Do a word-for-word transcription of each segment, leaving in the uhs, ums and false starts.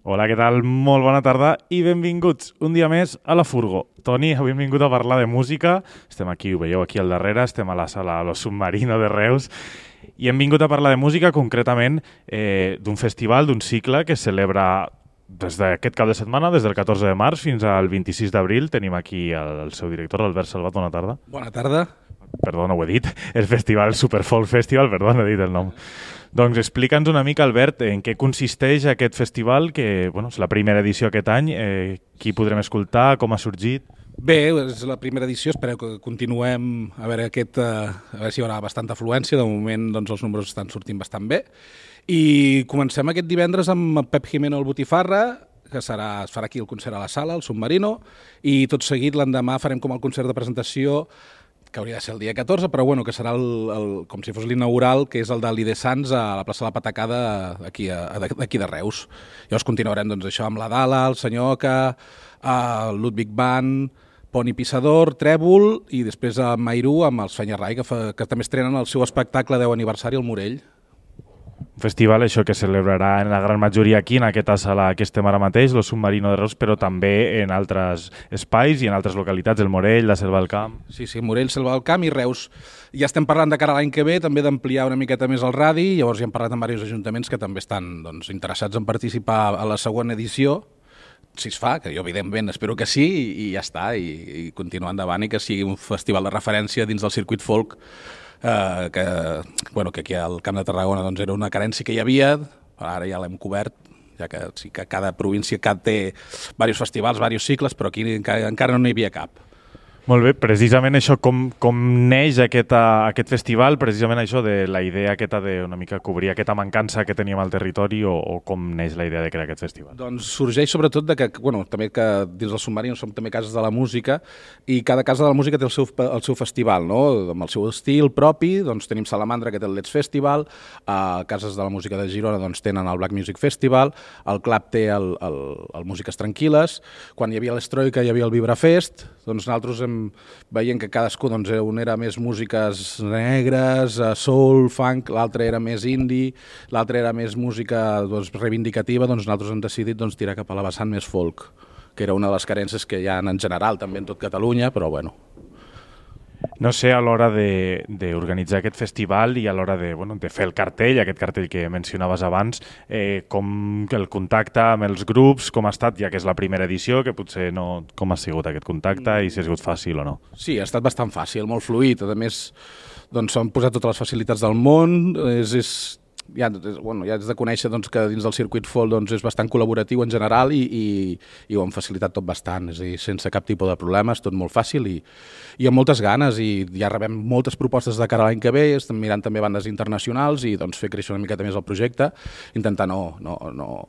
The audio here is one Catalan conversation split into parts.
Hola, què tal? Molt bona tarda i benvinguts un dia més a la Furgo. Toni, avui hem vingut a parlar de música. Estem aquí, ho veieu aquí al darrere, estem a la sala Lo Submarino de Reus i hem vingut a parlar de música, concretament eh, d'un festival, d'un cicle que es celebra des d'aquest cap de setmana, des del catorze de març fins al vint-i-sis d'abril. Tenim aquí el, el seu director, l'Albert Salvat. Bona tarda. Bona tarda. Perdó, no ho he dit. El festival Superfolk Festival, perdó, no he dit el nom. Doncs explica'ns una mica, Albert, en què consisteix aquest festival, que bueno, és la primera edició aquest any, eh, qui podrem escoltar, com ha sorgit? Bé, és la primera edició, espero que continuem a veure, aquest, uh, a veure si hi haurà bastanta afluència. De moment doncs, els números estan sortint bastant bé. I comencem aquest divendres amb Pep Jimeno al Botifarra, que serà, es farà aquí el concert a la sala, el Submarino, i tot seguit l'endemà farem com el concert de presentació, que hauria de ser el dia catorze, però bueno, que serà el, el, com si fos l'inaugural, que és el de l'I de Sants a la plaça de la Patacada aquí, d'aquí de Reus. Llavors continuarem doncs, això amb la Dala, el Senyor Oca, el Ludwig Band, Poni Pissador, Trèvol, i després a Mairú amb els Fenyarrai, que, fa, que també estrenen el seu espectacle deu aniversari al Morell. Un festival, això, que celebrarà en la gran majoria aquí, en aquesta sala que estem ara mateix, Lo Submarino de Reus, però també en altres espais i en altres localitats, el Morell, la Selva del Camp. Sí, sí, Morell, Selva del Camp i Reus. Ja estem parlant de cara a l'any que ve, també d'ampliar una miqueta més el radi, llavors ja hem parlat amb diversos ajuntaments que també estan doncs, interessats en participar a la segona edició, si es fa, que jo evidentment espero que sí, i, i ja està, i, i continuar endavant i que sigui un festival de referència dins del circuit folk, eh, que, bueno, que aquí al Camp de Tarragona doncs, era una carència que hi havia, ara ja l'hem cobert, ja que sí que cada província cada té diversos festivals, diversos cicles, però aquí encara, encara no n'hi havia cap. Molt bé, precisament això, com, com neix aquest, aquest festival, precisament això de la idea aquesta de una mica cobrir aquesta mancança que teníem al territori, o, o com neix la idea de crear aquest festival? Doncs sorgeix sobretot de que, bueno, també que dins del Submarino som també cases de la música i cada casa de la música té el seu, el seu festival, no? Amb el seu estil propi. Doncs tenim Salamandra, que té el Let's Festival, a cases de la música de Girona doncs tenen el Black Music Festival, el Clap té el, el, el Músiques Tranquil·les, quan hi havia l'Estroika hi havia el Vibrafest, doncs nosaltres hem veient que cadascú, doncs, un era més músiques negres, soul, funk, l'altre era més indie, l'altre era més música doncs, reivindicativa, doncs nosaltres hem decidit doncs, tirar cap a la vessant més folk, que era una de les carències que hi ha en general, també en tot Catalunya, però bueno. No sé, a l'hora d'organitzar aquest festival i a l'hora de, bueno, de fer el cartell, aquest cartell que mencionaves abans, eh, com el contacte amb els grups, com ha estat, ja que és la primera edició, que potser no... Com ha sigut aquest contacte i si ha sigut fàcil o no? Sí, ha estat bastant fàcil, molt fluid. A més, doncs, s'han posat totes les facilitats del món, és... és ja, bueno, ja has de conèixer doncs, que dins del circuit folk doncs, és bastant col·laboratiu en general i, i, i ho han facilitat tot bastant, és a dir, sense cap tipus de problemes, tot molt fàcil i, i amb moltes ganes, i ja rebem moltes propostes de cara a l'any que ve, estem mirant també bandes internacionals i doncs, fer créixer una miqueta més el projecte, intentar no, no, no,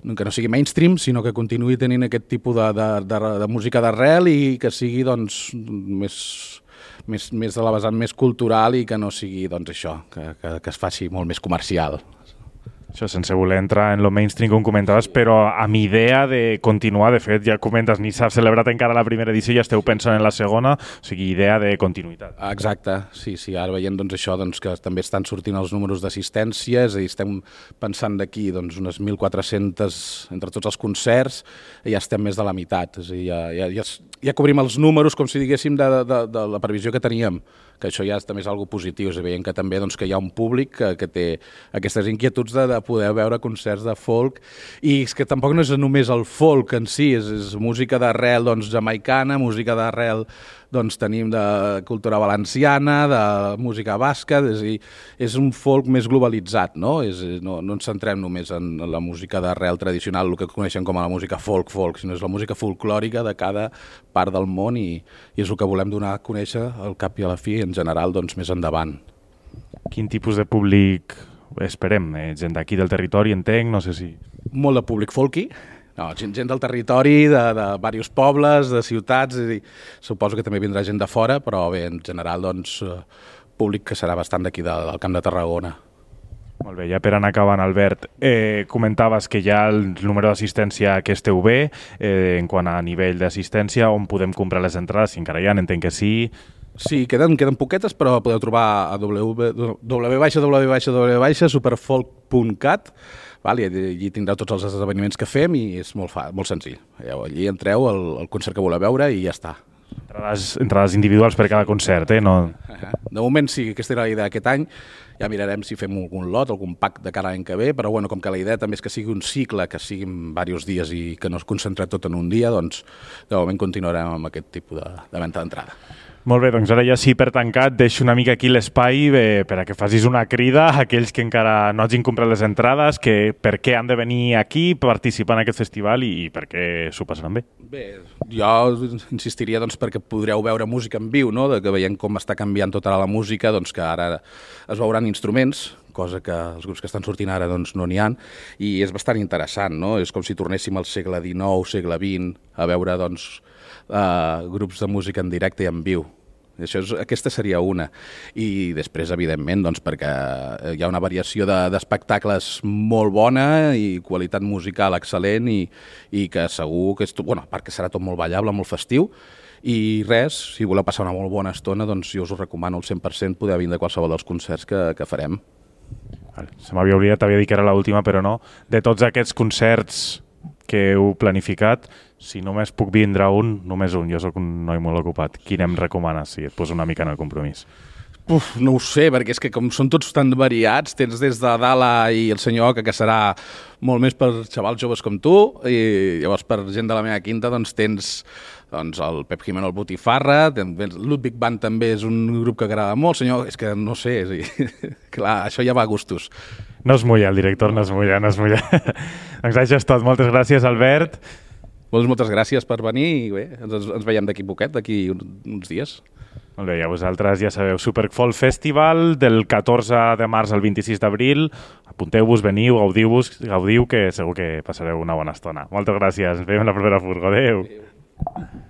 que no sigui mainstream, sinó que continuï tenint aquest tipus de, de, de, de música d'arrel i que sigui doncs, més... Més, més de la vessant més cultural i que no sigui doncs, això, que, que, que es faci molt més comercial. Això sense voler entrar en lo mainstream, com comentaves, però amb idea de continuar. De fet, ja comentes, ni s'ha celebrat encara la primera edició i ja esteu pensant en la segona, o sigui, idea de continuïtat. Exacte, sí, sí, ara veient doncs, això, doncs, que també estan sortint els números d'assistència, és a dir, estem pensant d'aquí doncs, unes mil quatre-centes entre tots els concerts, i ja estem més de la meitat, és a dir, ja, ja, ja, ja cobrim els números, com si diguéssim, de, de, de la previsió que teníem, que això ja també és algo positiu, és a dir, veient que també doncs, que hi ha un públic que, que té aquestes inquietuds de, de poder veure concerts de folk, i és que tampoc no és només el folk en si, és, és música d'arrel doncs, jamaicana, música d'arrel doncs, tenim de cultura valenciana, de música basca, és, dir, és un folk més globalitzat, no? És, no, no ens centrem només en la música d'arrel tradicional, el que coneixem com a la música folk-folk, sinó és la música folclòrica de cada part del món i, i és el que volem donar a conèixer al cap i a la fi, en general, doncs, més endavant. Quin tipus de públic esperem? Eh, gent d'aquí del territori, entenc, no sé si... Molt de públic folky, no, gent, gent del territori, de, de diversos pobles, de ciutats, és a dir, suposo que també vindrà gent de fora, però bé, en general, doncs, públic que serà bastant d'aquí del, del Camp de Tarragona. Molt bé, ja per anar acabant, Albert, eh, comentaves que ja el número d'assistència que esteu bé, eh, en quant a nivell d'assistència, on podem comprar les entrades, si encara hi ha, entenc que sí... Sí, queden, queden poquetes, però podeu trobar a w w w punt superfolk punt cat Val? I allí tindreu tots els esdeveniments que fem i és molt, fa, molt senzill. Allí entreu al, al concert que voleu veure i ja està. Entrades, entrades individuals per cada concert, eh? No... De moment sí, aquesta era la idea aquest any. Ja mirarem si fem algun lot, algun pack de cara a l'any que ve, però bueno, com que la idea també és que sigui un cicle, que siguin diversos dies i que no es concentre tot en un dia, doncs de moment continuarem amb aquest tipus de, de venda d'entrada. Molt bé, doncs ara ja sí, per tancat, deixo una mica aquí l'espai eh, per a que facis una crida a aquells que encara no hagin comprat les entrades, que per què han de venir aquí, participar en aquest festival i, i per què s'ho passaran bé. Bé, jo insistiria doncs, perquè podreu veure música en viu, no? De que veiem com està canviant tota la música, doncs que ara es veuran instruments, cosa que els grups que estan sortint ara doncs, no n'hi ha, i és bastant interessant, no? És com si tornéssim al segle dinou, segle vint, a veure doncs, uh, grups de música en directe i en viu. Això és, aquesta seria una. I després, evidentment, doncs, perquè hi ha una variació d'espectacles de, molt bona i qualitat musical excel·lent i, i que segur que és tot, bueno, perquè serà tot molt ballable, molt festiu. I res, si voleu passar una molt bona estona, doncs jo us ho recomano al cent per cent poder vindre a qualsevol dels concerts que, que farem. Se m'havia oblidat, t'havia dit que era l'última, però no. De tots aquests concerts que heu planificat, si només puc vindre un, només un, jo sóc un noi molt ocupat. Quin em recomanes, si et poso una mica en el compromís? Uf, no ho sé, perquè és que com són tots tan variats, tens des de Dala i el senyor Oca, que serà molt més per xavals joves com tu, i llavors per gent de la meva quinta doncs tens doncs, el Pep Jimeno, el Botifarra, Ludwig Band també és un grup que agrada molt, senyor, és que no sé, és, clar, això ja va a gustos. No es mulla, el director no es mulla, no es mulla. Doncs això és tot, moltes gràcies, Albert. Doncs moltes gràcies per venir i bé, ens, ens veiem d'aquí poquet, d'aquí uns dies. Molt bé, ja vosaltres ja sabeu, Superfolk Festival del catorze de març al vint-i-sis d'abril. Apunteu-vos, veniu, gaudiu-vos, gaudiu, que segur que passareu una bona estona. Moltes gràcies, ens veiem la propera furgo. Adéu. Adéu.